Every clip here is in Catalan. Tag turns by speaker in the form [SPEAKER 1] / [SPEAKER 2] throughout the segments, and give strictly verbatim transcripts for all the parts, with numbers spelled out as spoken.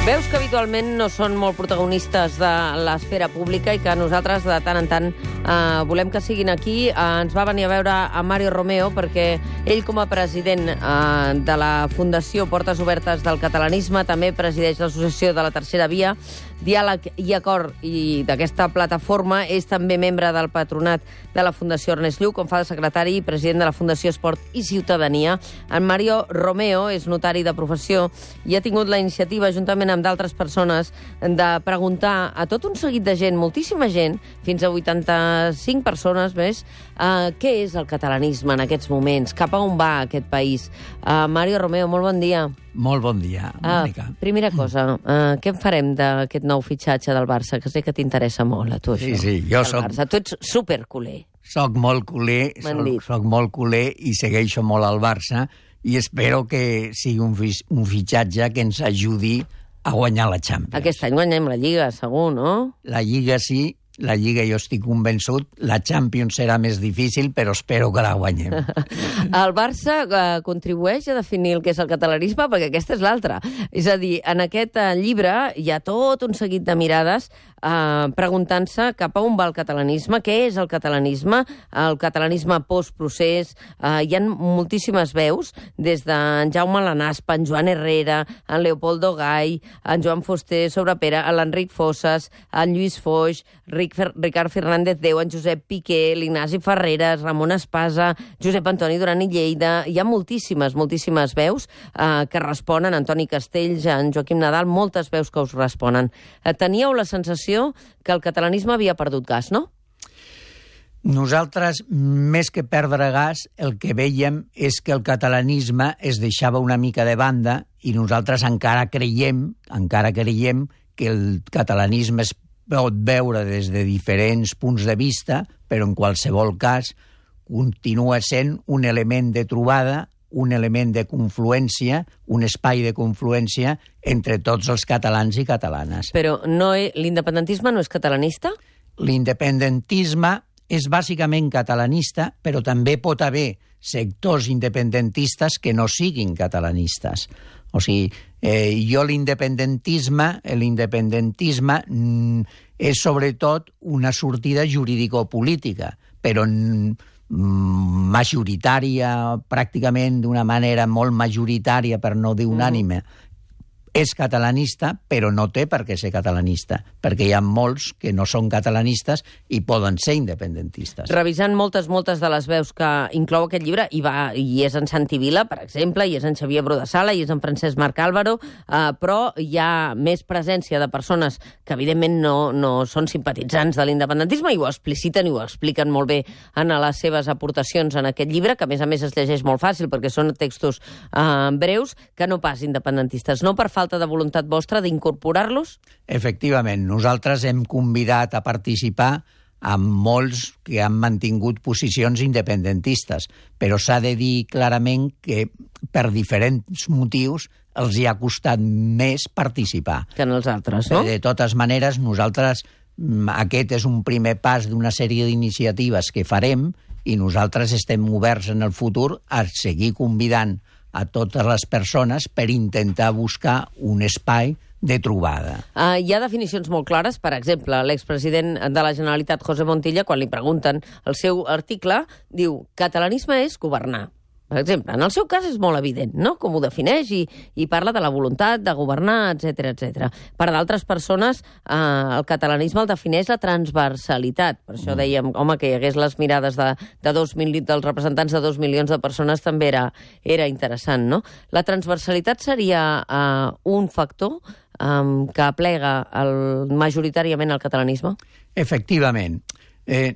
[SPEAKER 1] Veus que habitualment no són molt protagonistes de l'esfera pública i que nosaltres de tant en tant eh, volem que siguin aquí. Eh, ens va venir a veure a Mario Romeo perquè ell, com a president eh, de la Fundació Portes Obertes del Catalanisme, també presideix l'Associació de la Tercera Via, Diàleg i Acord, i d'aquesta plataforma és també membre del patronat de la Fundació Ernest Lluch, on fa de secretari i president de la Fundació Esport i Ciutadania. En Mario Romeo és notari de professió i ha tingut la iniciativa, juntament amb d'altres persones, de preguntar a tot un seguit de gent, moltíssima gent, fins a vuitanta-cinc persones més, eh, què és el catalanisme en aquests moments, cap a on va aquest país. Uh, Mario Romeo, molt bon dia.
[SPEAKER 2] Molt bon dia, Mònica.
[SPEAKER 1] Uh, primera cosa, uh, què en farem d'aquest nou fitxatge del Barça? Que sé que t'interessa molt, a tu, això.
[SPEAKER 2] Sí, sí, jo soc...
[SPEAKER 1] Barça. Tu ets superculer.
[SPEAKER 2] Soc molt culer, soc, soc molt culer i segueixo molt al Barça i espero que sigui un, fi, un fitxatge que ens ajudi a guanyar la Champions.
[SPEAKER 1] Aquest any guanyem la Lliga, segur, no?
[SPEAKER 2] La Lliga sí, la Lliga jo estic convençut, la Champions serà més difícil, però espero que la guanyem.
[SPEAKER 1] El Barça eh, contribueix a definir el que és el catalanisme, perquè aquesta és l'altra. És a dir, en aquest eh, llibre hi ha tot un seguit de mirades eh, preguntant-se cap a on va el catalanisme, què és el catalanisme, el catalanisme postprocés. Eh, hi ha moltíssimes veus, des d'en Jaume Lanaspa, en Joan Herrera, en Leopoldo Gai, en Joan Fuster Sobrepera, l'Enric Fossas, en Lluís Foix, Ricard Fernández Déu, en Josep Piqué, l'Ignasi Ferreres, Ramon Espasa, Josep Antoni Duran i Lleida. Hi ha moltíssimes, moltíssimes veus eh, que responen, Antoni Castells, en Joaquim Nadal, moltes veus que us responen. Eh, teníeu la sensació que el catalanisme havia perdut gas, no?
[SPEAKER 2] Nosaltres, més que perdre gas, el que veiem és que el catalanisme es deixava una mica de banda i nosaltres encara creiem, encara creiem que el catalanisme es pot veure des de diferents punts de vista, però en qualsevol cas continua sent un element de trobada, un element de confluència, un espai de confluència entre tots els catalans i catalanes.
[SPEAKER 1] Però no, l'independentisme no és catalanista?
[SPEAKER 2] L'independentisme és bàsicament catalanista, però també pot haver sectors independentistes que no siguin catalanistes. O sigui, eh, jo l'independentisme, l'independentisme mm, és sobretot una sortida jurídico-política, però mm, majoritària, pràcticament d'una manera molt majoritària, per no dir unànime. Mm. És catalanista, però no té per què ser catalanista, perquè hi ha molts que no són catalanistes i poden ser independentistes.
[SPEAKER 1] Revisant moltes, moltes de les veus que inclou aquest llibre, i, va, i és en Santi Vila, per exemple, i és en Xavier Brodessala, i és en Francesc Marc Álvaro, eh, però hi ha més presència de persones que, evidentment, no, no són simpatitzants de l'independentisme i ho expliciten i ho expliquen molt bé en les seves aportacions en aquest llibre, que, a més a més, es llegeix molt fàcil, perquè són textos eh, breus, que no pas independentistes. No per falta de voluntat vostra d'incorporar-los?
[SPEAKER 2] Efectivament, nosaltres hem convidat a participar amb molts que han mantingut posicions independentistes, però s'ha de dir clarament que per diferents motius els hi ha costat més participar.
[SPEAKER 1] Que en els altres, no?
[SPEAKER 2] De totes maneres, nosaltres, aquest és un primer pas d'una sèrie d'iniciatives que farem i nosaltres estem oberts en el futur a seguir convidant a totes les persones per intentar buscar un espai de trobada.
[SPEAKER 1] Uh, hi ha definicions molt clares. Per exemple, l'expresident de la Generalitat, José Montilla, quan li pregunten el seu article, diu: catalanisme és governar. Per exemple, en el seu cas és molt evident, no?, com ho defineix i, i parla de la voluntat de governar, etcètera, etcètera. Per d'altres persones, eh, el catalanisme el defineix la transversalitat. Per això dèiem, home, que hi hagués les mirades de, de dos mil, dels representants de dos milions de persones també era, era interessant, no? La transversalitat seria eh, un factor eh, que aplega el, majoritàriament el catalanisme?
[SPEAKER 2] Efectivament. Eh,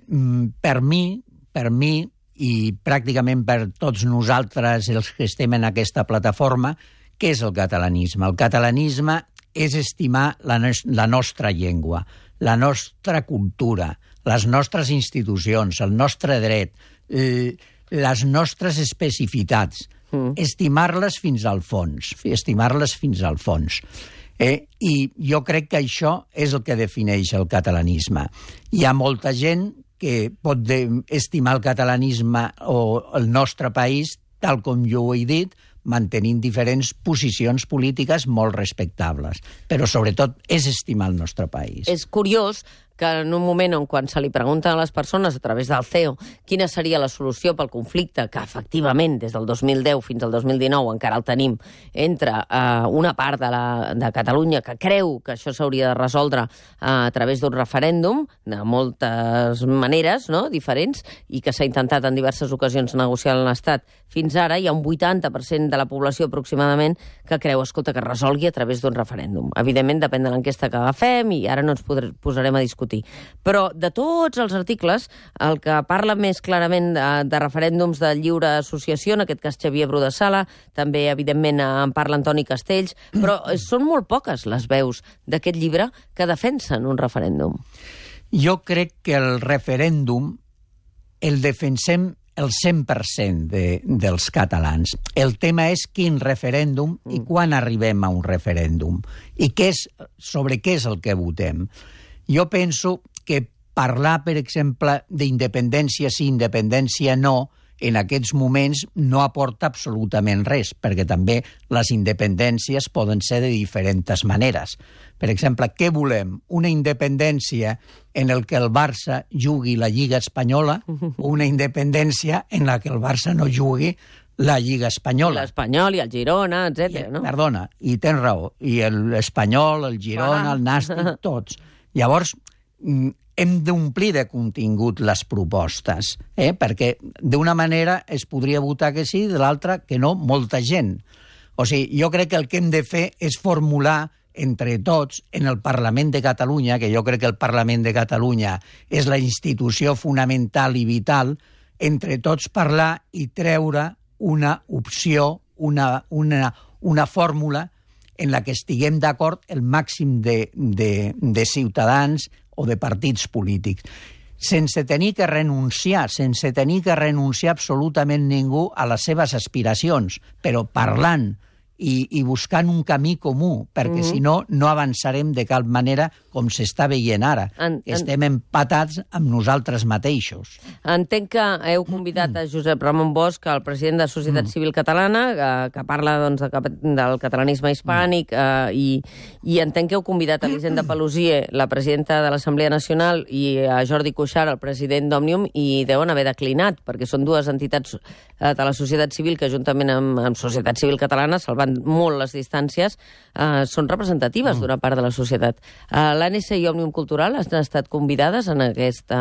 [SPEAKER 2] per mi, per mi, i pràcticament per tots nosaltres els que estem en aquesta plataforma, què és el catalanisme? El catalanisme és estimar la, no la nostra llengua, la nostra cultura, les nostres institucions, el nostre dret, les nostres especificitats, mm. estimar-les fins al fons, estimar-les fins al fons. Eh? I jo crec que això és el que defineix el catalanisme. Hi ha molta gent que pot estimar el catalanisme o el nostre país, tal com jo ho he dit, mantenint diferents posicions polítiques molt respectables. Però, sobretot, és estimar el nostre país.
[SPEAKER 1] És curiós que en un moment on quan se li pregunten a les persones a través del C E O quina seria la solució pel conflicte, que efectivament des del dos mil deu fins al dos mil dinou encara el tenim, entre eh, una part de, la, de Catalunya que creu que això s'hauria de resoldre eh, a través d'un referèndum, de moltes maneres, no?, diferents, i que s'ha intentat en diverses ocasions negociar amb l'Estat. Fins ara hi ha un vuitanta per cent de la població aproximadament que creu, escolta, que es resolgui a través d'un referèndum. Evidentment, depèn de l'enquesta que agafem i ara no ens podrem, posarem a discutir. Però de tots els articles, el que parla més clarament de, de referèndums de lliure associació, en aquest cas Xavier Bru de Sala, també, evidentment, en parla Antoni Castells, però són molt poques les veus d'aquest llibre que defensen un referèndum.
[SPEAKER 2] Jo crec que el referèndum el defensem el cent per cent de, dels catalans. El tema és quin referèndum i quan arribem a un referèndum i què és, sobre què és el que votem. Jo penso que parlar, per exemple, d'independència sí, independència no, en aquests moments no aporta absolutament res, perquè també les independències poden ser de diferents maneres. Per exemple, què volem? Una independència en el que el Barça jugui la Lliga Espanyola o una independència en la que el Barça no jugui la Lliga Espanyola?
[SPEAKER 1] L'Espanyol i el Girona, etcètera, no?
[SPEAKER 2] Perdona, i tens raó. I l'Espanyol, el Girona, el Nàstic, tots. Llavors, hem d'omplir de contingut les propostes, eh? Perquè d'una manera es podria votar que sí, de l'altra que no, molta gent. O sigui, jo crec que el que hem de fer és formular entre tots en el Parlament de Catalunya, que jo crec que el Parlament de Catalunya és la institució fonamental i vital, entre tots parlar i treure una opció, una, una, una fórmula en la que estiguem d'acord el màxim de, de, de ciutadans o de partits polítics, sense tenir que renunciar, sense tenir que renunciar absolutament ningú a les seves aspiracions, però parlant i, i buscant un camí comú, perquè mm-hmm. si no, no avançarem de cap manera com s'està veient ara. En, en... Estem empatats amb nosaltres mateixos.
[SPEAKER 1] Entenc que heu convidat a Josep Ramon Bosch, el president de Societat mm. Civil Catalana, que, que parla doncs, de, del catalanisme hispànic, mm. eh, i, i entenc que heu convidat a Elisenda Paluzie, la presidenta de l'Assemblea Nacional, i a Jordi Cuixart, el president d'Òmnium, i deuen haver declinat, perquè són dues entitats eh, de la societat civil que, juntament amb, amb Societat Civil Catalana, salvant molt les distàncies, eh, són representatives mm. d'una part de la societat. Eh, L'A N S i Òmnium Cultural han estat convidades en, aquesta,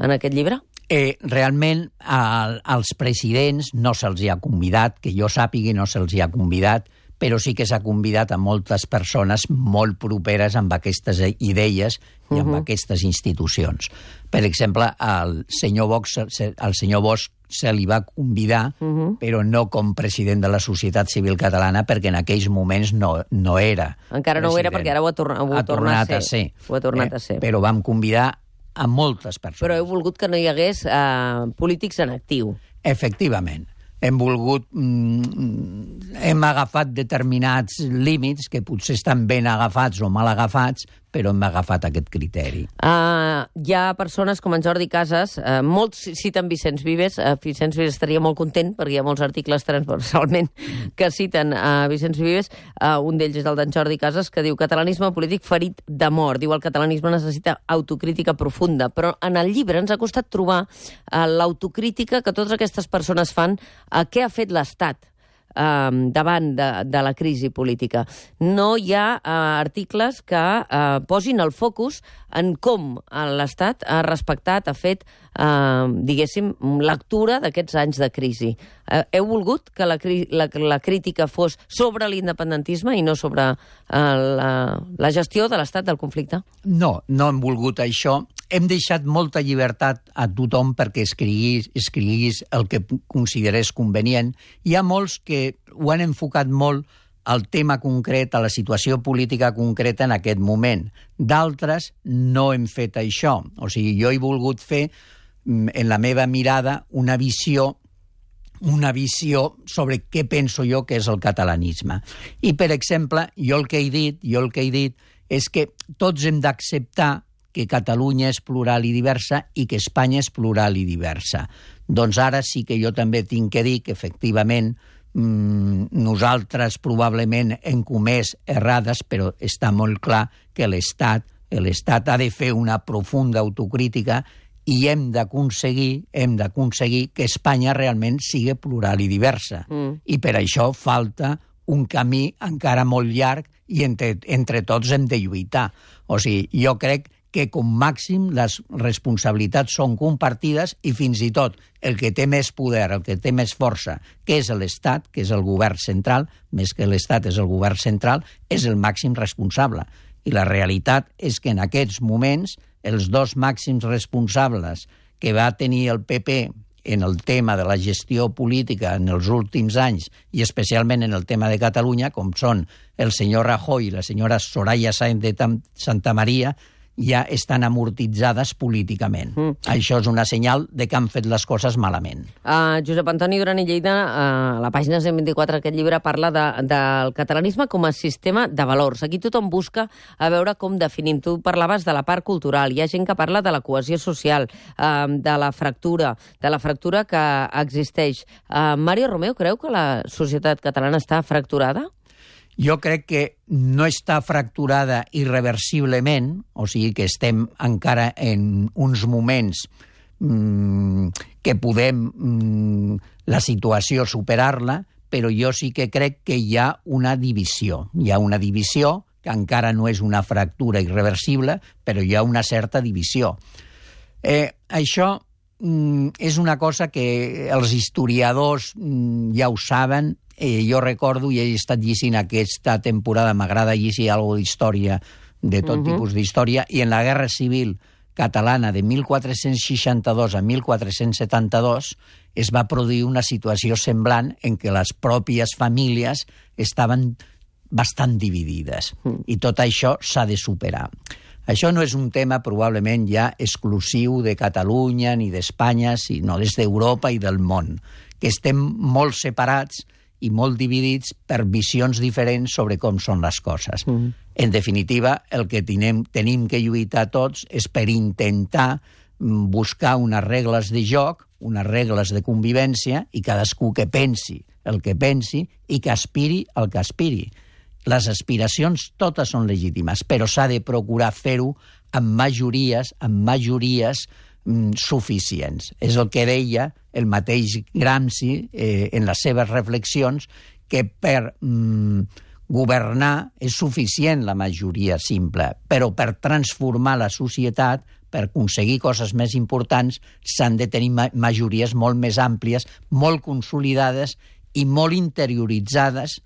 [SPEAKER 1] en aquest llibre?
[SPEAKER 2] Eh, realment, a, als presidents no se'ls ha convidat, que jo sàpigui no se'ls ha convidat, però sí que s'ha convidat a moltes persones molt properes amb aquestes idees i amb uh-huh. aquestes institucions. Per exemple, al senyor Bosch, al senyor Bosch se li va convidar, uh-huh. però no com president de la Societat Civil Catalana, perquè en aquells moments no, no era.
[SPEAKER 1] Encara no
[SPEAKER 2] president.
[SPEAKER 1] ho era, perquè ara ho ha, torna, ho ha, ha tornat, tornat a ser. Ho ha tornat eh? a ser.
[SPEAKER 2] Però vam convidar a moltes persones.
[SPEAKER 1] Però heu volgut que no hi hagués eh, polítics en actiu.
[SPEAKER 2] Efectivament. Hem volgut... Mm, hem agafat determinats límits que potser estan ben agafats o mal agafats, però hem agafat aquest criteri.
[SPEAKER 1] Uh, hi ha persones com en Jordi Casas, uh, molts citen Vicenç Vives, uh, Vicenç Vives estaria molt content perquè hi ha molts articles transversalment que citen uh, Vicenç Vives, uh, un d'ells és el d'en Jordi Casas, que diu catalanisme polític ferit de mort. Diu el catalanisme necessita autocrítica profunda, però en el llibre ens ha costat trobar uh, l'autocrítica que totes aquestes persones fan a uh, què ha fet l'Estat Uh, davant de, de la crisi política. No hi ha uh, articles que uh, posin el focus en com l'Estat ha respectat, ha fet, uh, diguéssim, lectura d'aquests anys de crisi. Uh, heu volgut que la, la, la crítica fos sobre l'independentisme i no sobre uh, la, la gestió de l'Estat del conflicte?
[SPEAKER 2] No, no hem volgut això. Hem deixat molta llibertat a tothom perquè escriguis, escriguis el que considerés convenient. Hi ha molts que ho han enfocat molt al tema concret, a la situació política concreta en aquest moment. D'altres no hem fet això. O sigui, jo he volgut fer, en la meva mirada, una visió una visió sobre què penso jo que és el catalanisme. I, per exemple, jo el que he dit, jo el que he dit és que tots hem d'acceptar que Catalunya és plural i diversa i que Espanya és plural i diversa. Doncs ara sí que jo també tinc que dir que, efectivament, mm, nosaltres probablement hem comès errades, però està molt clar que l'Estat l'Estat ha de fer una profunda autocrítica i hem d'aconseguir hem d'aconseguir que Espanya realment sigui plural i diversa. Mm. I per això falta un camí encara molt llarg i entre, entre tots hem de lluitar. O sigui, jo crec que com màxim les responsabilitats són compartides i fins i tot el que té més poder, el que té més força, que és l'Estat, que és el govern central, més que l'Estat és el govern central, és el màxim responsable. I la realitat és que en aquests moments els dos màxims responsables que va tenir el P P en el tema de la gestió política en els últims anys i especialment en el tema de Catalunya, com són el senyor Rajoy i la senyora Soraya Sáenz de Santamaría, ja estan amortitzades políticament. Mm. Això és una senyal de que han fet les coses malament.
[SPEAKER 1] Uh, Josep Antoni Duran i Lleida, uh, a la pàgina cent vint-i-quatre d'aquest llibre, parla de, del catalanisme com a sistema de valors. Aquí tothom busca a veure com definim. Tu parlaves de la part cultural, hi ha gent que parla de la cohesió social, uh, de la fractura, de la fractura que existeix. Uh, Mario Romeo creu que la societat catalana està fracturada?
[SPEAKER 2] Jo crec que no està fracturada irreversiblement, o sigui que estem encara en uns moments mmm, que podem mmm, la situació superar-la, però jo sí que crec que hi ha una divisió. Hi ha una divisió que encara no és una fractura irreversible, però hi ha una certa divisió. Eh, això mm, és una cosa que els historiadors mm, ja ho saben. Eh, jo recordo, i he estat llegint aquesta temporada, m'agrada llegir alguna d'història, de tot uh-huh. tipus d'història, i en la Guerra Civil Catalana de mil quatre-cents seixanta-dos a mil quatre-cents setanta-dos es va produir una situació semblant en què les pròpies famílies estaven bastant dividides. Uh-huh. I tot això s'ha de superar. Això no és un tema probablement ja exclusiu de Catalunya ni d'Espanya, sinó des d'Europa i del món, que estem molt separats i molt dividits per visions diferents sobre com són les coses. Mm. En definitiva, el que tenim, tenim que lluitar tots és per intentar buscar unes regles de joc, unes regles de convivència, i cadascú que pensi el que pensi i que aspiri el que aspiri. Les aspiracions totes són legítimes, però s'ha de procurar fer-ho amb majories, amb majories suficients. És el que deia el mateix Gramsci eh, en les seves reflexions, que per mm, governar és suficient la majoria simple, però per transformar la societat, per aconseguir coses més importants, s'han de tenir ma- majories molt més àmplies, molt consolidades i molt interioritzades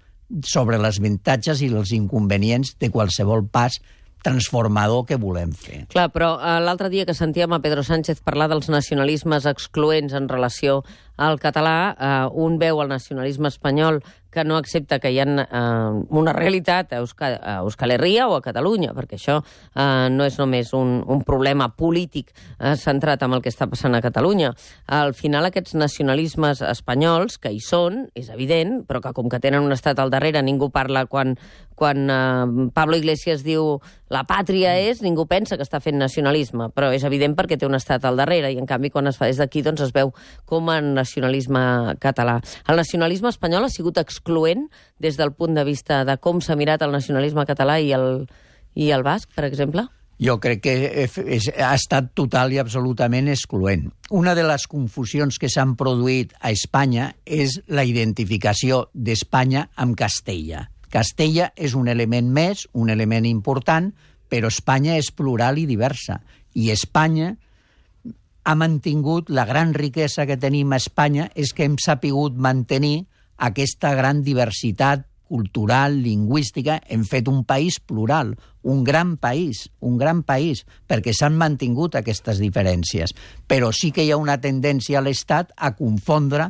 [SPEAKER 2] sobre els avantatges i els inconvenients de qualsevol pas transformador que volem fer.
[SPEAKER 1] Clar, però uh, l'altre dia que sentíem a Pedro Sánchez parlar dels nacionalismes excloents en relació al català, uh, un veu el nacionalisme espanyol que no accepta que hi ha uh, una realitat a Euskal, a Euskal Herria o a Catalunya, perquè això uh, no és només un, un problema polític uh, centrat en el que està passant a Catalunya. Al final, aquests nacionalismes espanyols, que hi són, és evident, però que com que tenen un estat al darrere, ningú parla quan, quan uh, Pablo Iglesias diu la pàtria és, ningú pensa que està fent nacionalisme, però és evident perquè té un estat al darrere, i en canvi quan es fa des d'aquí doncs es veu com a nacionalisme català. El nacionalisme espanyol ha sigut excloent des del punt de vista de com s'ha mirat el nacionalisme català i el, i el basc, per exemple?
[SPEAKER 2] Jo crec que és, ha estat total i absolutament excloent. Una de les confusions que s'han produït a Espanya és la identificació d'Espanya amb Castella. Castella és un element més, un element important, però Espanya és plural i diversa. I Espanya ha mantingut, la gran riquesa que tenim a Espanya és que hem sapigut mantenir aquesta gran diversitat cultural, lingüística. Hem fet un país plural, un gran país, un gran país, perquè s'han mantingut aquestes diferències. Però sí que hi ha una tendència a l'Estat a confondre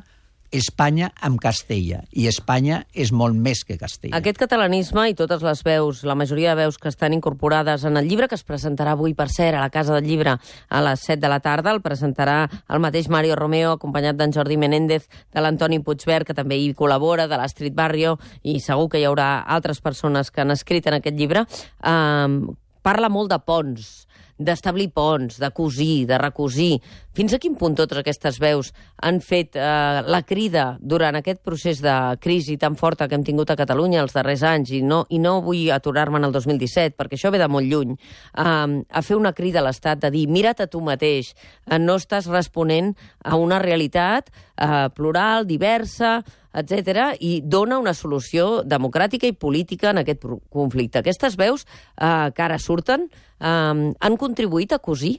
[SPEAKER 2] Espanya amb Castella, i Espanya és molt més que Castella.
[SPEAKER 1] Aquest catalanisme i totes les veus, la majoria de veus que estan incorporades en el llibre, que es presentarà avui, per cert, a la Casa del Llibre a les set de la tarda, el presentarà el mateix Mario Romeo, acompanyat d'en Jordi Menéndez, de l'Antoni Puigvert, que també hi col·labora, de l'Astrid Barrio, i segur que hi haurà altres persones que han escrit en aquest llibre. Um, parla molt de ponts, d'establir ponts, de cosir, de recosir. fins a quin punt totes aquestes veus han fet eh, la crida durant aquest procés de crisi tan forta que hem tingut a Catalunya els darrers anys, i no, i no vull aturar-me en el dos mil disset, perquè això ve de molt lluny, eh, a fer una crida a l'Estat de dir, mira't a tu mateix, eh, no estàs responent a una realitat eh, plural, diversa, etcètera, i dona una solució democràtica i política en aquest conflicte. Aquestes veus eh, que ara surten eh, han contribuït a cosir?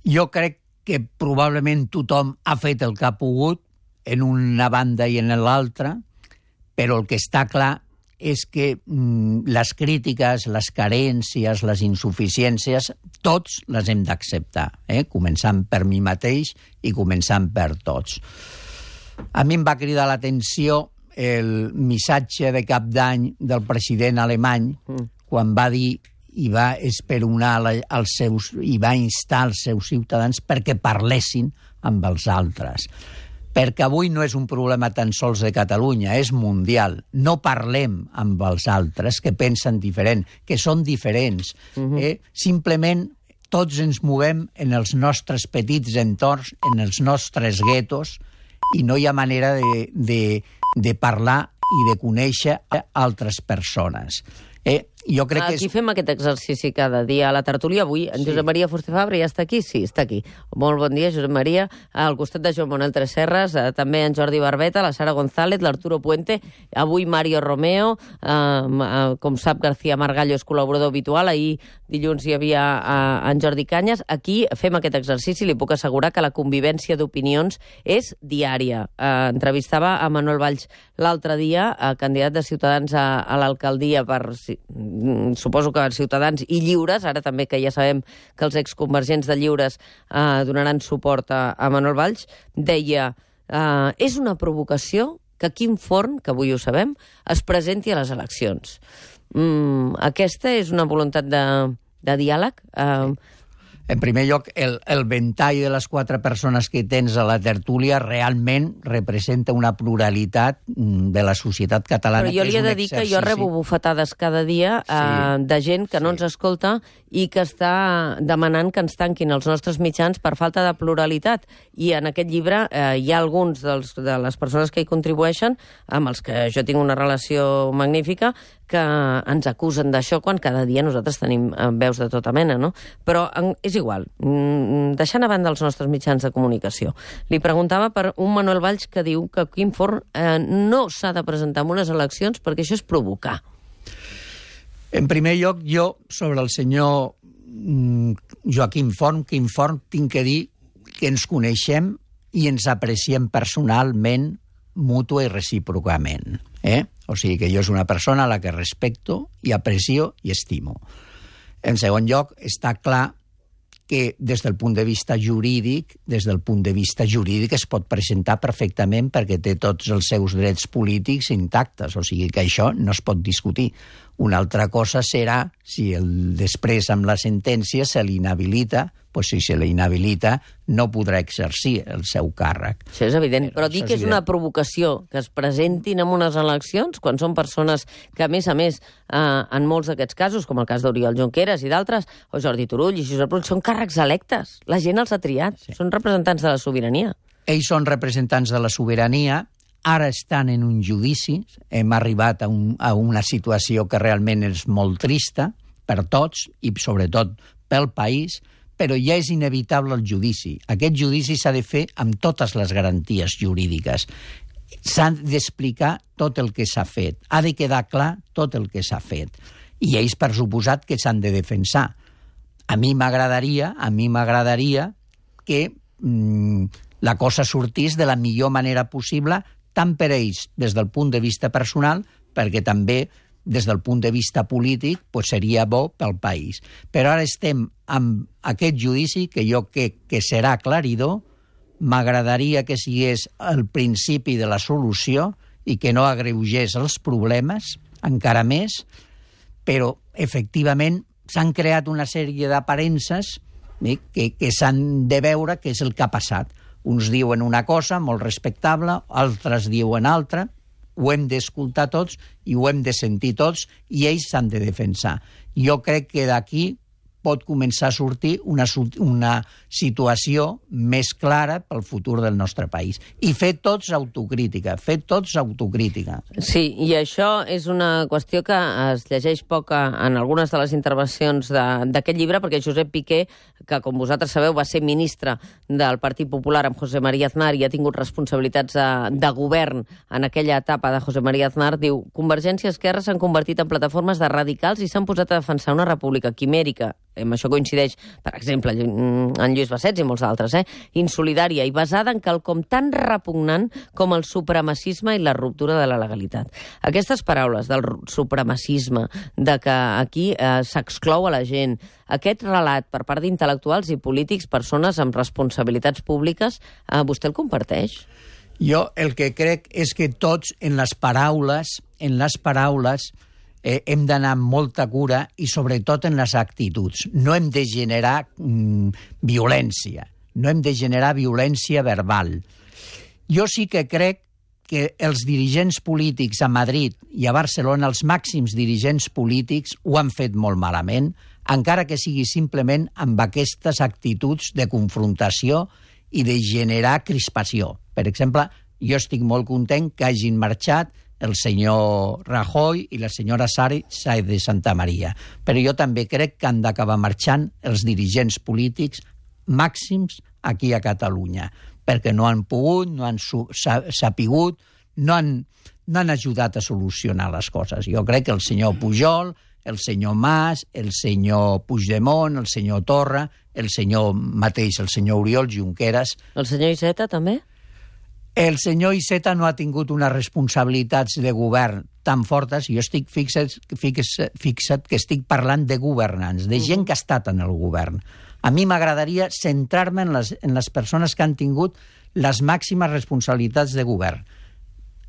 [SPEAKER 2] Jo crec que probablement tothom ha fet el que ha pogut en una banda i en l'altra, però el que està clar és que mm, les crítiques, les carències, les insuficiències, tots les hem d'acceptar, eh? Començant per mi mateix i començant per tots. A mi em va cridar l'atenció el missatge de cap d'any del president alemany, mm. quan va dir i va esperonar els seus, i va instar els seus ciutadans perquè parlessin amb els altres. Perquè avui no és un problema tan sols de Catalunya, és mundial. No parlem amb els altres que pensen diferent, que són diferents. Uh-huh. eh? Simplement tots ens movem en els nostres petits entorns, en els nostres guetos, i no hi ha manera de, de, de parlar i de conèixer altres persones. Eh, jo crec
[SPEAKER 1] aquí
[SPEAKER 2] que és...
[SPEAKER 1] fem aquest exercici cada dia a la tertúlia. Avui en sí. Josep Maria Fuster Fabra ja està aquí? Sí, està aquí. Molt bon dia, Josep Maria. Al costat de Joan Manuel Tresserras, eh, també en Jordi Barbeta, la Sara González, l'Arturo Puente, avui Mario Romeo, eh, eh, com sap García Margallo és col·laborador habitual, ahir dilluns hi havia eh, en Jordi Canyes. Aquí fem aquest exercici, li puc assegurar que la convivència d'opinions és diària. Eh, entrevistava a Manuel Valls l'altre dia, eh, candidat de Ciutadans a, a l'alcaldia per... suposo que Ciutadans i Lliures, ara també que ja sabem que els exconvergents de Lliures eh, donaran suport a, a Manuel Valls, deia, eh, és una provocació que Quim Forn, que avui ho sabem, es presenti a les eleccions. Mm, aquesta és una voluntat de, de diàleg? Eh,
[SPEAKER 2] En primer lloc, el, el ventall de les quatre persones que tens a la tertúlia realment representa una pluralitat de la societat catalana.
[SPEAKER 1] Però jo li he de dir exercici... que jo rebo bufetades cada dia sí, eh, de gent que sí. no ens escolta i que està demanant que ens tanquin els nostres mitjans per falta de pluralitat. I en aquest llibre eh, hi ha alguns dels, de les persones que hi contribueixen, amb els que jo tinc una relació magnífica, que ens acusen d'això quan cada dia nosaltres tenim veus de tota mena, no? Però és igual, deixant a banda els nostres mitjans de comunicació. Li preguntava per un Manuel Valls que diu que Quim Forn eh, no s'ha de presentar en unes eleccions perquè això és provocar.
[SPEAKER 2] En primer lloc, jo, sobre el senyor Joaquim Forn, Quim Forn, tinc que dir que ens coneixem i ens apreciem personalment, mútua i recíprocament. Eh? O sigui que jo és una persona a la que respecto i aprecio i estimo. En segon lloc, està clar que des del punt de vista jurídic, des del punt de vista jurídic es pot presentar perfectament perquè té tots els seus drets polítics intactes, o sigui que això no es pot discutir. Una altra cosa serà si el, després amb la sentència se l'inhabilita, doncs si se l'inhabilita no podrà exercir el seu càrrec.
[SPEAKER 1] Això és evident, però, però dir que és, és una provocació que es presentin en unes eleccions quan són persones que, a més a més, eh, en molts d'aquests casos, com el cas d'Oriol Junqueras i d'altres, o Jordi Turull i Josep Rull, són càrrecs electes. La gent els ha triat, sí. Són representants de la sobirania.
[SPEAKER 2] Ells són representants de la sobirania, ara estan en un judici, hem arribat a, un, a una situació que realment és molt trista per tots i sobretot pel país, però ja és inevitable el judici. Aquest judici s'ha de fer amb totes les garanties jurídiques. S'ha d'explicar tot el que s'ha fet. Ha de quedar clar tot el que s'ha fet. I ells, per suposat, que s'han de defensar. A mi m'agradaria, a mi m'agradaria que mmm, la cosa sortís de la millor manera possible, tant per ells des del punt de vista personal, perquè també des del punt de vista polític pues seria bo pel país. Però ara estem amb aquest judici que jo crec que serà aclaridor, m'agradaria que sigués el principi de la solució i que no agreugés els problemes encara més, però efectivament s'han creat una sèrie d'aparences eh, que, que s'han de veure què és el que ha passat. Uns diuen una cosa molt respectable, altres diuen altra, ho hem d'escoltar tots i ho hem de sentir tots i ells s'han de defensar. Jo crec que d'aquí pot començar a sortir una, una situació més clara pel futur del nostre país. I fer tots autocrítica, fer tots autocrítica.
[SPEAKER 1] Sí, i això és una qüestió que es llegeix poc en algunes de les intervencions d'aquest llibre, perquè Josep Piqué, que com vosaltres sabeu va ser ministre del Partit Popular amb José María Aznar i ha tingut responsabilitats de, de govern en aquella etapa de José María Aznar, diu: Convergència i Esquerra s'han convertit en plataformes de radicals i s'han posat a defensar una república quimèrica, amb això coincideix, per exemple, en Lluís Bassets i molts altres, eh? insolidària i basada en quelcom tan repugnant com el supremacisme i la ruptura de la legalitat. Aquestes paraules del supremacisme, de que aquí eh, s'exclou a la gent, aquest relat per part d'intel·lectuals i polítics, persones amb responsabilitats públiques, eh, vostè el comparteix?
[SPEAKER 2] Jo el que crec és que tots en les paraules, en les paraules eh, hem d'anar amb molta cura i sobretot en les actituds. No hem de generar mm, violència, no hem de generar violència verbal. Jo sí que crec que els dirigents polítics a Madrid i a Barcelona, els màxims dirigents polítics, ho han fet molt malament, encara que sigui simplement amb aquestes actituds de confrontació i de generar crispació. Per exemple, jo estic molt content que hagin marxat el senyor Rajoy i la senyora Sáenz de Santamaría. Però jo també crec que han d'acabar marxant els dirigents polítics màxims aquí a Catalunya, perquè no han pogut, no han sapigut, no han, no han ajudat a solucionar les coses. Jo crec que el senyor Pujol, el senyor Mas, el senyor Puigdemont, el senyor Torra, el senyor mateix, el senyor Oriol Junqueras...
[SPEAKER 1] El senyor Iceta, també?
[SPEAKER 2] El senyor Iceta no ha tingut unes responsabilitats de govern tan fortes. Jo estic fixat, fixat, fixat que estic parlant de governants, de gent que ha estat en el govern. A mi m'agradaria centrar-me en les, en les persones que han tingut les màximes responsabilitats de govern.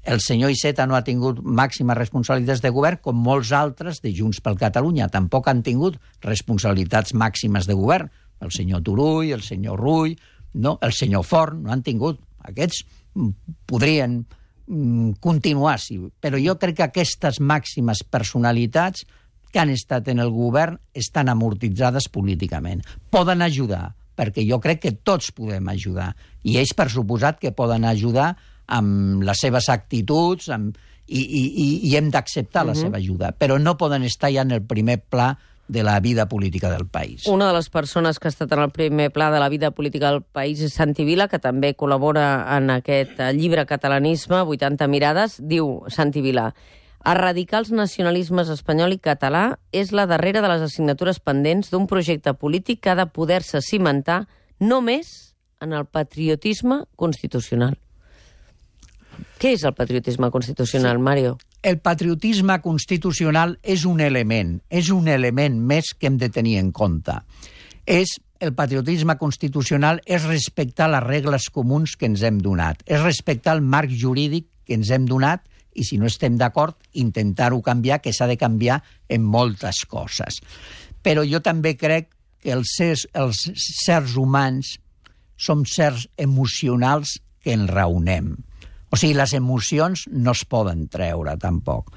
[SPEAKER 2] El senyor Iceta no ha tingut màximes responsabilitats de govern, com molts altres de Junts per Catalunya. Tampoc han tingut responsabilitats màximes de govern. El senyor Turull, el senyor Rull, no? El senyor Forn, no han tingut. Aquests podrien mm, continuar, sí. Però jo crec que aquestes màximes personalitats que han estat en el govern estan amortitzades políticament. Poden ajudar, perquè jo crec que tots podem ajudar. I ells, per suposat, que poden ajudar amb les seves actituds amb, i, i, i hem d'acceptar uh-huh. la seva ajuda. Però no poden estar ja en el primer pla de la vida política del país.
[SPEAKER 1] Una de les persones que ha estat en el primer pla de la vida política del país és Santi Vila, que també col·labora en aquest llibre Catalanisme, vuitanta mirades. Diu Santi Vila: erradicar els nacionalismes espanyol i català és la darrera de les assignatures pendents d'un projecte polític que ha de poder-se cimentar només en el patriotisme constitucional. Què és el patriotisme constitucional, sí. Mario?
[SPEAKER 2] El patriotisme constitucional és un element, és un element més que hem de tenir en compte. És, el patriotisme constitucional és respectar les regles comuns que ens hem donat, és respectar el marc jurídic que ens hem donat i, si no estem d'acord, intentar-ho canviar, que s'ha de canviar en moltes coses. Però jo també crec que els sers, els sers humans som sers emocionals que enraonem. O sigui, les emocions no es poden treure, tampoc,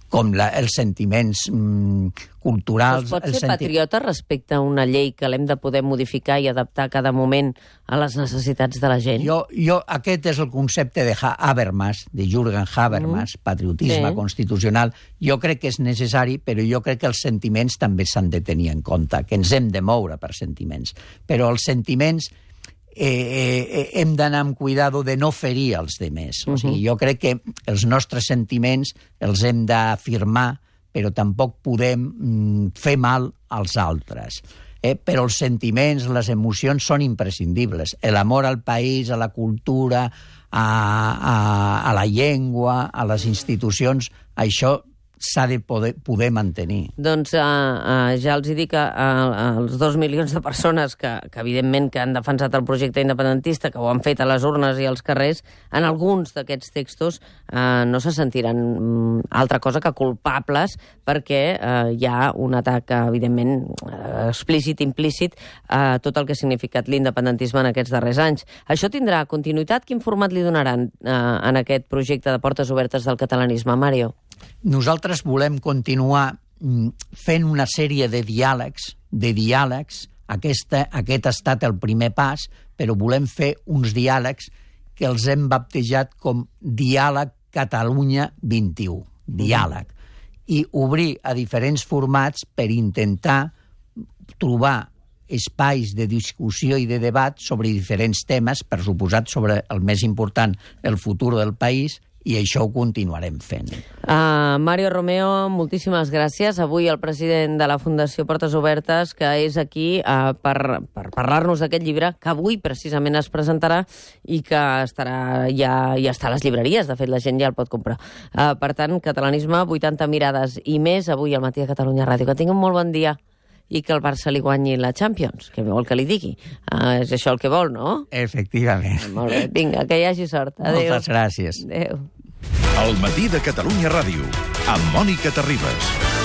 [SPEAKER 2] com la, els sentiments mm, culturals...
[SPEAKER 1] Es pot ser
[SPEAKER 2] senti...
[SPEAKER 1] patriota respecte a una llei que l'hem de poder modificar i adaptar a cada moment a les necessitats de la gent?
[SPEAKER 2] Jo, jo aquest és el concepte de Habermas, de Jürgen Habermas, mm. patriotisme sí. constitucional. Jo crec que és necessari, però jo crec que els sentiments també s'han de tenir en compte, que ens hem de moure per sentiments. Però els sentiments... Eh, eh, hem d'anar amb cuidado de no ferir els demés. O sigui, jo crec que els nostres sentiments els hem d'afirmar, però tampoc podem mm, fer mal als altres. Eh? Però els sentiments, les emocions són imprescindibles. L'amor al país, a la cultura, a, a, a la llengua, a les institucions, això s'ha de poder, poder mantenir.
[SPEAKER 1] Doncs uh, uh, ja els dic que uh, els dos milions de persones que, que evidentment que han defensat el projecte independentista, que ho han fet a les urnes i als carrers, en alguns d'aquests textos uh, no se sentiran um, altra cosa que culpables, perquè uh, hi ha un atac, evidentment, uh, explícit, implícit, a uh, tot el que ha significat l'independentisme en aquests darrers anys. Això tindrà continuïtat? Quin format li donaran uh, en aquest projecte de portes obertes del catalanisme, Mario?
[SPEAKER 2] Nosaltres volem continuar fent una sèrie de diàlegs, de diàlegs, aquesta, aquest ha estat el primer pas, però volem fer uns diàlegs que els hem baptejat com Diàleg Catalunya vint i u, diàleg, i obrir a diferents formats per intentar trobar espais de discussió i de debat sobre diferents temes, per suposat sobre el més important, el futur del país, i això ho continuarem fent.
[SPEAKER 1] Uh, Mario Romeo, moltíssimes gràcies. Avui el president de la Fundació Portes Obertes, que és aquí uh, per, per parlar-nos d'aquest llibre, que avui precisament es presentarà i que estarà ja, ja està a les llibreries. De fet, la gent ja el pot comprar. Uh, per tant, Catalanisme, vuitanta mirades i més, avui al Matí de Catalunya Ràdio. Que tinguin un molt bon dia i que el Barça li guanyi la Champions, que vol que li digui. Uh, és això el que vol, no?
[SPEAKER 2] Efectivament.
[SPEAKER 1] Molt bé, vinga, que hi hagi sort. Adéu.
[SPEAKER 2] Moltes gràcies.
[SPEAKER 1] Adéu.
[SPEAKER 3] El Matí de Catalunya Ràdio, amb Mònica Terribas.